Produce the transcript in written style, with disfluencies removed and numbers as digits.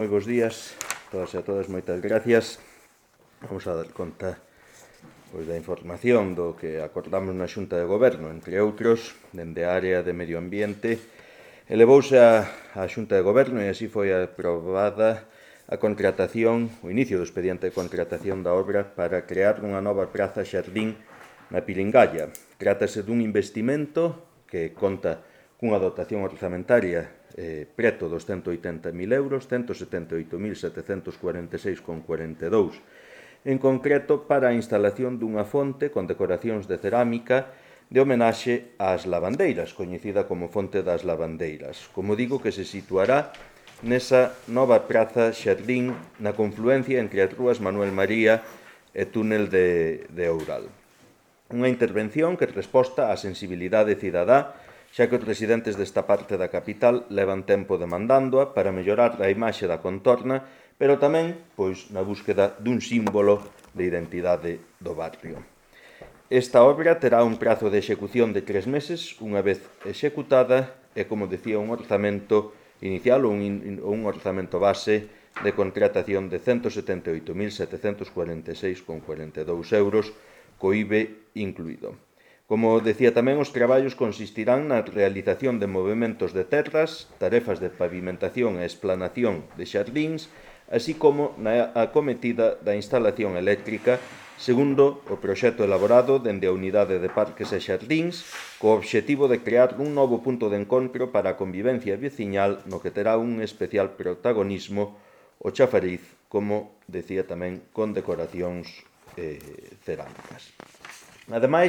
Moi bons días, todas e a todas, moitas gracias. Vamos a dar conta da información do que acordamos na Xunta de Goberno, entre outros, dende a área de Medio Ambiente. Elevouse a Xunta de Goberno e así foi aprobada a contratación, o inicio do expediente de contratación da obra para crear unha nova praza xardín na Pilingalla. Trátase dun investimento que conta cunha dotación orzamentaria preto dos 180.000 euros, 178.746,42. En concreto, para a instalación dunha fonte con decoracións de cerámica de homenaxe ás lavandeiras, coñecida como Fonte das Lavandeiras. Como digo, que se situará nesa nova praza xardín na confluencia entre as rúas Manuel María e Túnel de Oural. Unha intervención que resposta á sensibilidade cidadá, xa que os residentes desta parte da capital levan tempo demandándoa para mellorar a imaxe da contorna, pero tamén na búsqueda dun símbolo de identidade do barrio. Esta obra terá un prazo de execución de 3 meses, unha vez executada, e, como decía, un orzamento inicial ou un orzamento base de contratación de 178.746,42 euros, co IBE incluído. Como decía tamén, os traballos consistirán na realización de movementos de terras, tarefas de pavimentación e esplanación de xardíns, así como na acometida da instalación eléctrica, segundo o proxecto elaborado dende a Unidade de Parques e Xardíns, co obxectivo de crear un novo punto de encontro para a convivencia veciñal no que terá un especial protagonismo o chafariz, como decía tamén, con decoracións cerámicas. Ademais,